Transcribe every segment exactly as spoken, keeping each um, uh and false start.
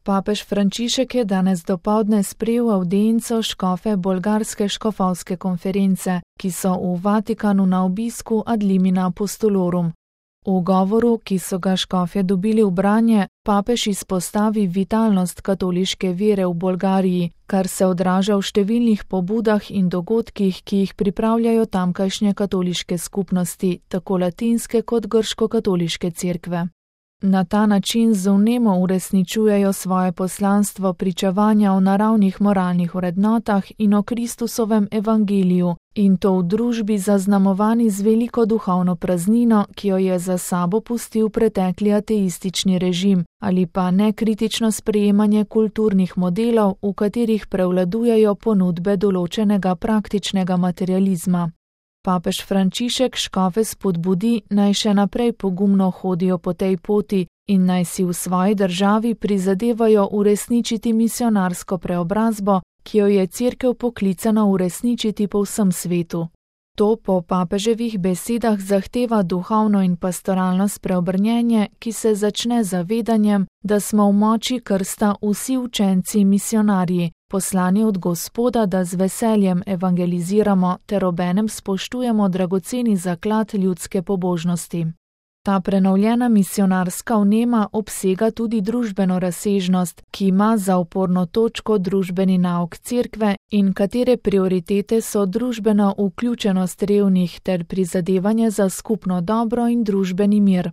Papež Frančišek je danes dopoldne sprejel avdienco škofe bolgarske škofovske konference, ki so v Vatikanu na obisku ad limina apostolorum. V govoru, ki so ga škofje dobili v branje, papež izpostavi vitalnost katoliške vere v Bolgariji, kar se odraža v številnih pobudah in dogodkih, ki jih pripravljajo tamkajšnje katoliške skupnosti, tako latinske kot grško-katoliške cerkve. Na ta način z vnemo uresničujejo svoje poslanstvo pričevanja o naravnih moralnih vrednotah in o Kristusovem evangeliju, in to v družbi zaznamovani z veliko duhovno praznino, ki jo je za sabo pustil pretekli ateistični režim, ali pa nekritično sprejemanje kulturnih modelov, v katerih prevladujejo ponudbe določenega praktičnega materializma. Papež Frančišek škofe spodbudi, naj še naprej pogumno hodijo po tej poti in naj si v svoji državi prizadevajo uresničiti misionarsko preobrazbo, ki jo je cerkev poklicana uresničiti po vsem svetu. To po papeževih besedah zahteva duhovno in pastoralno spreobrnjenje, ki se začne z zavedanjem, da smo v moči krsta vsi učenci misionarji, poslani od Gospoda, da z veseljem evangeliziramo ter obenem spoštujemo dragoceni zaklad ljudske pobožnosti. Ta prenovljena misionarska vnema obsega tudi družbeno razsežnost, ki ima za oporno točko družbeni nauk cerkve in katere prioritete so družbena vključenost revnih ter prizadevanje za skupno dobro in družbeni mir.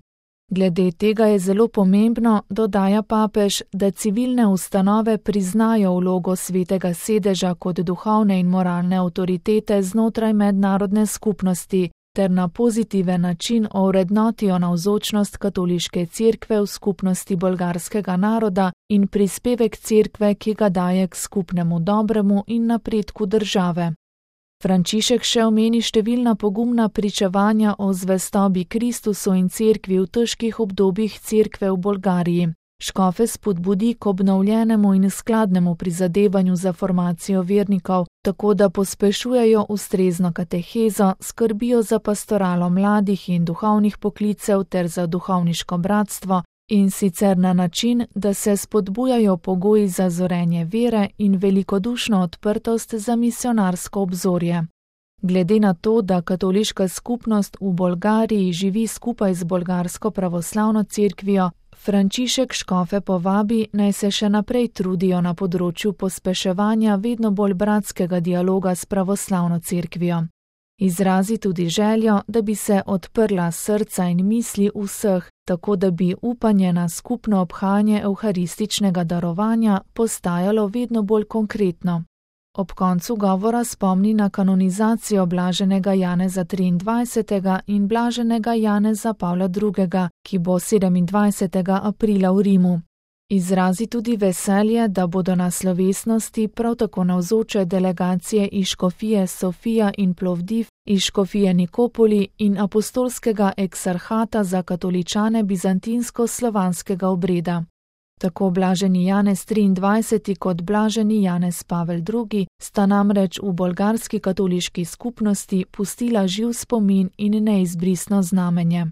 Glede tega je zelo pomembno, dodaja papež, da civilne ustanove priznajo vlogo svetega sedeža kot duhovne in moralne avtoritete znotraj mednarodne skupnosti, ter na pozitiven način ovrednotijo navzočnost katoliške cerkve v skupnosti bolgarskega naroda in prispevek cerkve, ki ga daje k skupnemu dobremu in napredku države. Frančišek še omeni številna pogumna pričevanja o zvestobi Kristusu in cerkvi v težkih obdobjih cerkve v Bolgariji. Škofe spodbudi k obnovljenemu in skladnemu prizadevanju za formacijo vernikov, tako da pospešujejo ustrezno katehezo, skrbijo za pastoralo mladih in duhovnih poklicev ter za duhovniško bratstvo, in sicer na način, da se spodbujajo pogoji za zorenje vere in velikodušno odprtost za misionarsko obzorje. Glede na to, da katoliška skupnost v Bolgariji živi skupaj z bolgarsko pravoslavno cerkvijo, Frančišek škofe povabi, naj se še naprej trudijo na področju pospeševanja vedno bolj bratskega dialoga s pravoslavno cerkvijo. Izrazi tudi željo, da bi se odprla srca in misli vseh, tako da bi upanje na skupno obhajanje evharističnega darovanja postajalo vedno bolj konkretno. Ob koncu govora spomni na kanonizacijo blaženega Janeza triindvajsetega in blaženega Janeza Pavla drugega, ki bo sedemindvajsetega aprila v Rimu. Izrazi tudi veselje, da bodo na slovesnosti prav tako navzoče delegacije iz škofije Sofija in Plovdiv, iz škofije Nikopoli in apostolskega eksarhata za katoličane bizantinsko-slovanskega obreda. Tako blaženi Janez triindvajseti kot blaženi Janez Pavel drugi sta namreč v bolgarski katoliški skupnosti pustila živ spomin in neizbrisno znamenje.